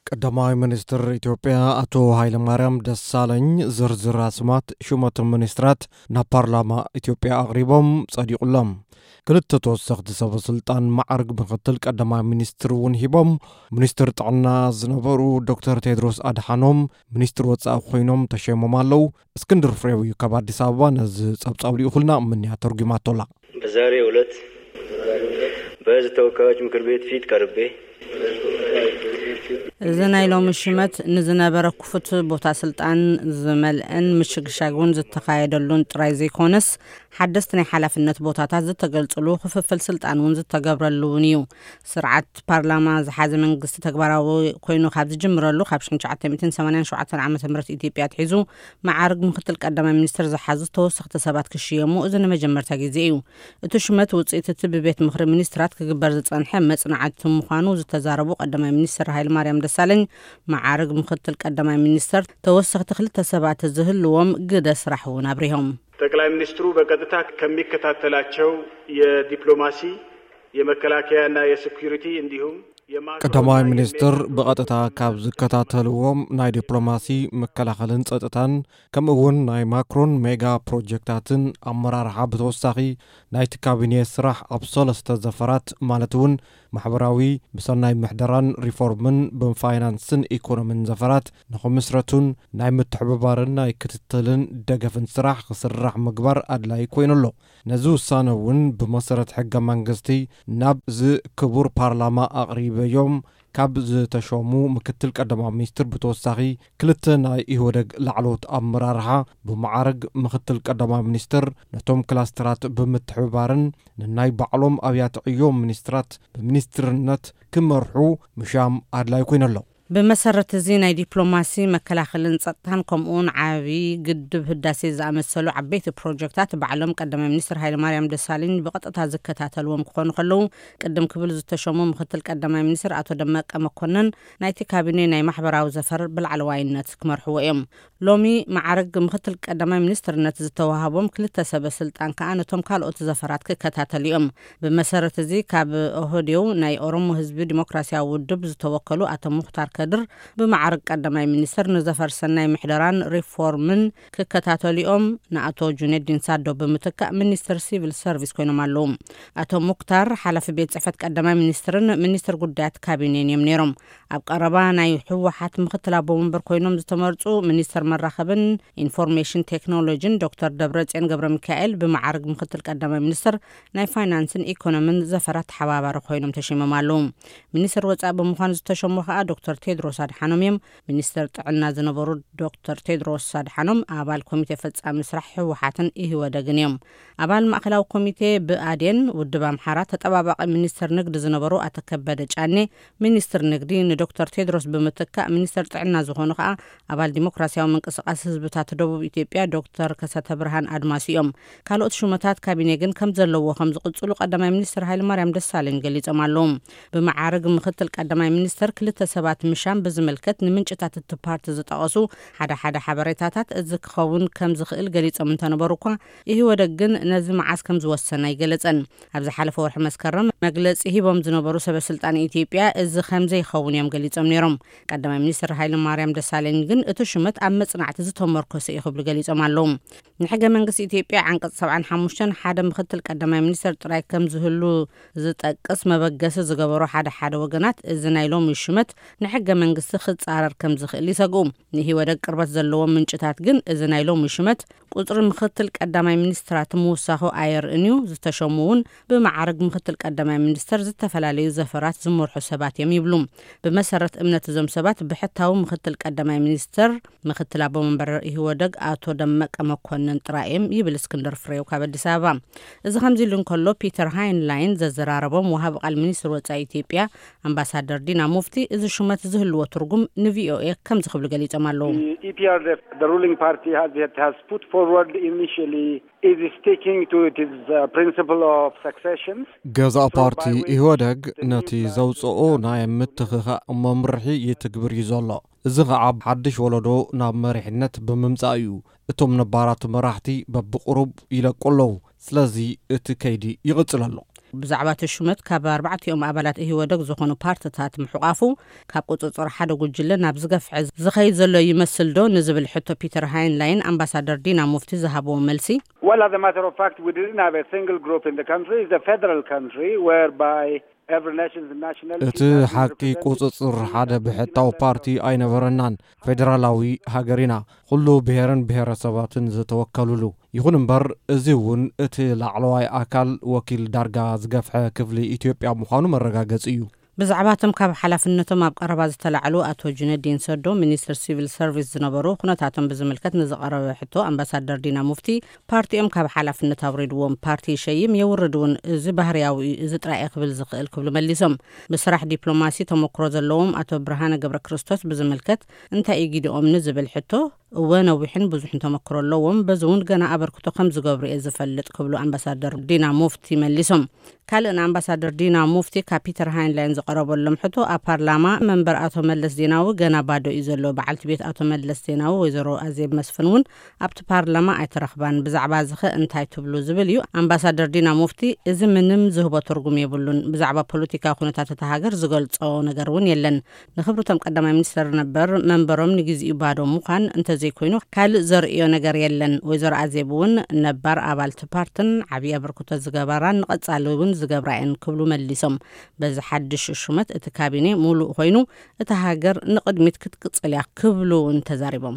ቀዳማይ ሚኒስትር ኢትዮጵያ ኣቶ ሃይለማርያም ደሳለኝ ዝርዝር ኣስማት ሹመቶም ሚኒስትራት ናብ ፓርላማ ኢትዮጵያ ኣቕሪቦም ጸዲቑሎም። ክልተ ተወሰኽቲ ሰበ ስልጣን ማዕርግ ምክትል ቀዳማይ ሚኒስትር እውን ሂቦም። ሚኒስትር ጥዕና ዝነበሩ ዶክተር ቴድሮስ ኣድሓኖም ሚኒስትር ወጻኢ ኮይኖም ተሸይሞም ኣለዉ። እስክንድር ፍሬው እዩ ካብ ኣዲስ ኣበባ ነዚ ጸብጻብ ልኢኹልና። ምንያ ተርጉማቶላ። በዛሬው ዕለት በሕዝብ ተወካዮች ምክር ቤት ፊት ቀርቤ እዚ ናይ ሎሚ ሽመት ንዝነበረ ክፉት ቦታ ስልጣን ዝመልአን ምሽግሻግ እውን ዝተኻየደሉን ጥራይ ዘይኮነስ ሓደስቲ ናይ ሓላፍነት ቦታታት ዝተገልጽሉ ክፍፍል ስልጣን እውን ዝተገብረሉ እውን እዩ። ስርዓት ፓርላማ ዝሓዘ መንግስቲ ተግባራዊ ኮይኑ ካብ ዝጅምረሉ ካብ ሽሕን ትሽዓተ ሚእትን ሰማንያን ሸውዓተን ዓመተ ምህረት ኢትዮጵያ ኣትሒዙ መዓርግ ምክትል ቀዳማይ ሚኒስትር ዝሓዙ ተወሰኽቲ ሰባት ክሽየሙ እዚ ንመጀመርታ ግዜ እዩ። እቲ ሹመት ውፅኢት እቲ ብቤት ምኽሪ ሚኒስትራት ክግበር ዝፀንሐ መፅናዕቲ ምዃኑ ዝተዛረቡ ቀዳማይ ሚኒስትር ሃይለማርያም ደሳለኝ መዓርግ ምክትል ቀዳማይ ሚኒስትር ተወሰኽቲ ክልተ ሰባት ዝህልዎም ግደ ስራሕ እውን ኣብሪሆም። ጠቅላይ ሚኒስትሩ በቀጥታ ከሚከታተላቸው የዲፕሎማሲ፣ የመከላከያና የሴኩሪቲ እንዲሁም የማክሮ ቀዳማይ እና ሚኒስትር የሜዳ ብቐጥታ ካብ ዝከታተልዎም ናይ ዲፕሎማሲ፣ መከላኸልን ጸጥታን ከምኡ እውን ናይ ማክሮን ሜጋ ፕሮጀክታትን ኣመራርሓ ብተወሳኺ ናይቲ ካቢኔ ስራሕ ኣብ ሰለስተ ዘፈራት ማለት እውን ማሕበራዊ፣ ብሰናይ ምሕደራን ሪፎርምን ብፋይናንስን ኢኮኖምን ዘፈራት ንኽምስረቱን ናይ ምትሕብባርን ናይ ክትትልን ደገፍን ስራሕ ክስራሕ ምግባር ኣድላይ ኮይኑ ኣሎ። ነዚ ውሳነ እውን ብመሰረት ሕገ መንግስቲ ናብ እዚ ክቡር ፓርላማ ኣቕሪበዮም። ካብ ዝተሾሙ ምክትል ቀዳማይ ሚኒስትር ብተወሳኺ ክልተ ናይ ኢህወደግ ላዕለዎት ኣመራርሓ ብመዓርግ ምክትል ቀዳማይ ሚኒስትር ነቶም ክላስተራት ብምትሕብባርን ንናይ ባዕሎም ኣብያተ ዕዮ ሚኒስትራት ብሚኒስትርነት ክመርሑ ምሻም ኣድላይ ኮይኑ ኣሎ። ብመሰረት እዚ ናይ ዲፕሎማሲ፣ መከላኸልን ጸጥታን ከምኡውን ዓቢ ግድብ ህዳሴ ዝኣመሰሉ ዓበይቲ ፕሮጀክታት ባዕሎም ቀዳማይ ሚኒስትር ሃይለማርያም ደሳለኝ ብቐጥታ ዝከታተልዎም ክኾኑ ከለዉ ቅድም ክብል ዝተሸሙ ምክትል ቀዳማይ ሚኒስትር ኣቶ ደመቀ መኮነን ናይቲ ካቢኔ ናይ ማሕበራዊ ዘፈር ብላዕለዋይነት ክመርሕዎ እዮም። ሎሚ መዓርግ ምክትል ቀዳማይ ሚኒስትርነት ዝተዋህቦም ክልተ ሰበ ስልጣን ከኣ ነቶም ካልኦት ዘፈራት ክከታተሉ እዮም። ብመሰረት እዚ ካብ ኦህዴው ናይ ኦሮሞ ህዝቢ ዲሞክራሲያዊ ውድብ ዝተወከሉ ኣቶ ሙክታር ከድር ብመዓርግ ቀዳማይ ሚኒስትር ንዘፈር ሰናይ ምሕደራን ሪፎርምን ክከታተሉ እዮም። ንኣቶ ጁነዲን ሳዶ ብምትካእ ሚኒስትር ሲቪል ሰርቪስ ኮይኖም ኣለዉ። ኣቶ ሙክታር ሓላፊ ቤት ጽሕፈት ቀዳማይ ሚኒስትርን ሚኒስትር ጉዳያት ካቢኔን እዮም ነይሮም። ኣብ ቀረባ ናይ ህወሓት ምክትል ኣቦ ወንበር ኮይኖም ዝተመርጹ ሚኒስትር መራኸብን ኢንፎርሜሽን ቴክኖሎጂን ዶክተር ደብረጽዮን ገብረ ሚካኤል ብመዓርግ ምክትል ቀዳማይ ሚኒስትር ናይ ፋይናንስን ኢኮኖምን ዘፈራት ተሓባባሪ ኮይኖም ተሸይሞም ኣለዉ። ሚኒስትር ወጻኢ ብምዃን ዝተሸሙ ከኣ ዶክተር ቴድሮስ ኣድሓኖም እዮም። ሚኒስትር ጥዕና ዝነበሩ ዶክተር ቴድሮስ ኣድሓኖም ኣባል ኮሚቴ ፈጻሚ ስራሕ ህወሓትን ኢህወደግን እዮም። ኣባል ማእከላዊ ኮሚቴ ብኣዴን፣ ውድብ ኣምሓራ፣ ተጠባባቒ ሚኒስትር ንግዲ ዝነበሩ ኣቶ ከበደ ጫኔ ሚኒስትር ንግዲ ንዶክተር ቴድሮስ ብምትካእ ሚኒስትር ጥዕና ዝኾኑ ከኣ ኣባል ዲሞክራሲያዊ ምንቅስቃስ ህዝብታት ደቡብ ኢትዮጵያ ዶክተር ከሰተ ብርሃን ኣድማሱ እዮም። ካልኦት ሹመታት ካቢኔ ግን ከም ዘለዎ ከም ዝቕጽሉ ቀዳማይ ሚኒስትር ሃይለማርያም ደሳለኝ ገሊጾም ኣለዉ። ብመዓርግ ምክትል ቀዳማይ ሚኒስትር ክልተ ሰባት ምሻም ብዝምልከት ንምንጭታት እቲ ፓርቲ ዝጠቐሱ ሓደ ሓደ ሓበሬታታት እዚ ክኸውን ከም ዝኽእል ገሊጾም እንተነበሩ እኳ ኢህወደግ ግን ነዚ መዓስ ከም ዝወሰነ ኣይገለጸን። ኣብ ዝሓለፈ ወርሒ መስከረም መግለጺ ሂቦም ዝነበሩ ሰበ ስልጣን ኢትዮጵያ እዚ ከም ዘይኸውን እዮም ገሊጾም ነይሮም። ቀዳማይ ሚኒስትር ሃይለማርያም ደሳለኝ ግን እቲ ሹመት ኣብ መጽናዕቲ ዝተመርኮሰ እዩ ክብሉ ገሊጾም ኣለዉ። ንሕገ መንግስቲ ኢትዮጵያ ዓንቀጽ ሰብዓን ሓሙሽተን ሓደ ምክትል ቀዳማይ ሚኒስትር ጥራይ ከም ዝህሉ ዝጠቅስ መበገሲ ዝገበሩ ሓደ ሓደ ወገናት እዚ ናይ ሎሚ ሹመት ንሕገ መንግስቲ ክጻረር ከም ዝኽእል ይሰግኡ። ንኢህወደግ ቅርበት ዘለዎም ምንጭታት ግን እዚ ናይ ሎሚ ሹመት ቁጽሪ ምክትል ቀዳማይ ሚኒስትራት ምውሳኹ ኣየርእን እዩ። ዝተሸሙ እውን ብመዓርግ ምክትል ቀዳማይ ሚኒስትር ዝተፈላለዩ ዘፈራት ዝመርሑ ሰባት እዮም ይብሉ። ብመሰረት እምነት እዞም ሰባት ብሕታዊ ምክትል ቀዳማይ ሚኒስትር ምክትል ኣቦ መንበር ኢህወደግ ኣቶ ደመቀ መኮንን ጥራይ እዮም ይብል እስክንድር ፍሬው ካብ ኣዲስ ኣበባ። እዚ ከምዚ ኢሉ እንከሎ ፒተር ሃይንላይን ዘዘራረቦም ወሃቢ ቃል ሚኒስትር ወጻኢ ኢትዮጵያ ኣምባሳደር ዲና ሙፍቲ እዚ ሹመት ዝህልዎ ትርጉም ንቪኦኤ ከምዚ ክብሉ ገሊጾም ኣለዉ። The E P R D F, the ruling party, has, has put forward initially is sticking to its uh, principle of succession. ገዛእ ፓርቲ ኢህወደግ ነቲ ዘውፅኦ ናይ ምትኽኻእ መምርሒ ይትግብር እዩ ዘሎ። እዚ ኸዓ ሓድሽ ወለዶ ናብ መሪሕነት ብምምፃእ እዩ። እቶም ነባራት መራሕቲ በብቁሩብ ይለቁ ኣለዉ። ስለዚ እቲ ከይዲ ይቕፅል ኣሎ። ብዛዕባ እቲ ሹመት ካብ ኣርባዕቲኦም ኣባላት ኢህወደግ ዝኾኑ ፓርትታት ምሕቋፉ፣ ካብ ቁጽጽር ሓደ ጉጅለ ናብ ዝገፍሐ ዝኸይድ ዘሎ ይመስል ዶ ንዝብል ሕቶ፣ ፒተር ሃይንላይን ኣምባሳደር ዲና ሙፍቲ ዝሃብዎ መልሲ፣ Well, as a matter of fact, we didn't have a single group in the country. It's a federal country whereby every nation's nationality እቲ ሓቂ ቁጽጽር ሓደ ብሕታዊ ፓርቲ ኣይነበረናን። ፌደራላዊ ሃገር ኢና፣ ኩሉ ብሄርን ብሄረሰባትን ዝተወከሉሉ። ይኹን እምበር፣ እዚ እውን እቲ ላዕለዋይ ኣካል ወኪል ዳርጋ ዝገፍሐ ክፍሊ ኢትዮጵያ ምዃኑ መረጋገጺ እዩ። ብዛዕባ እቶም ካብ ሓላፍነቶም ኣብ ቀረባ ዝተላዕሉ ኣቶ ጁነዲን ሰዶ፣ ሚኒስትር ሲቪል ሰርቪስ ዝነበሩ፣ ኩነታቶም ብዝምልከት ንዝቐረበ ሕቶ፣ ኣምባሳደር ዲና ሙፍቲ፣ ፓርቲኦም ካብ ሓላፍነት ኣውሪድዎም፣ ፓርቲ ይሸይም የውርድ እውን፣ እዚ ባህርያዊ እዩ፣ እዚ ጥራይ ክብል ዝኽእል ክብሉ መሊሶም። ብስራሕ ዲፕሎማሲ ተመክሮ ዘለዎም ኣቶ ብርሃነ ገብረ ክርስቶስ ብዝምልከት፣ እንታይ እዩ ጊድኦም ንዝብል ሕቶ፣ እወ ነዊሕን ብዙሕን ተመክሮ ኣለዎም፣ በዚ እውን ገና ኣበርክቶ ከም ዝገብሩ እየ ዝፈልጥ ክብሉ ኣምባሳደር ዲና ሙፍቲ መሊሶም። ካልእ ንኣምባሳደር ዲና ሙፍቲ ካብ ፒተር ሃይንላይን ዝቐረበሎም ሕቶ፣ ኣብ ፓርላማ መንበር ኣቶ መለስ ዜናዊ ገና ባዶ እዩ ዘሎ። በዓልቲ ቤት ኣቶ መለስ ዜናዊ ወይዘሮ ኣዜብ መስፍን እውን ኣብቲ ፓርላማ ኣይተረኽባን። ብዛዕባ እዚ ኸ እንታይ ትብሉ ዝብል እዩ። ኣምባሳደር ዲና ሙፍቲ፣ እዚ ምንም ዝህቦ ትርጉም የብሉን። ብዛዕባ ፖለቲካዊ ኩነታት እታ ሃገር ዝገልጾ ነገር እውን የለን። ንኽብርቶም ቀዳማይ ሚኒስተር ነበር መንበሮም ንግዚኡ ባዶ ምዃን እንተዘይኮይኑ ካልእ ዘርእዮ ነገር የለን። ወይዘሮ ኣዜብ እውን ነባር ኣባልቲ ፓርትን ዓብዪ ኣበርክቶ ዝገበራን ንቐጻሊ እውን ዝገብራ እየን ክብሉ መሊሶም። በዚ ሓድሽ ሹመት እቲ ካቢኔ ሙሉእ ኮይኑ እታ ሃገር ንቕድሚት ክትቅጽል እያ ክብሉ እውን ተዛሪቦም።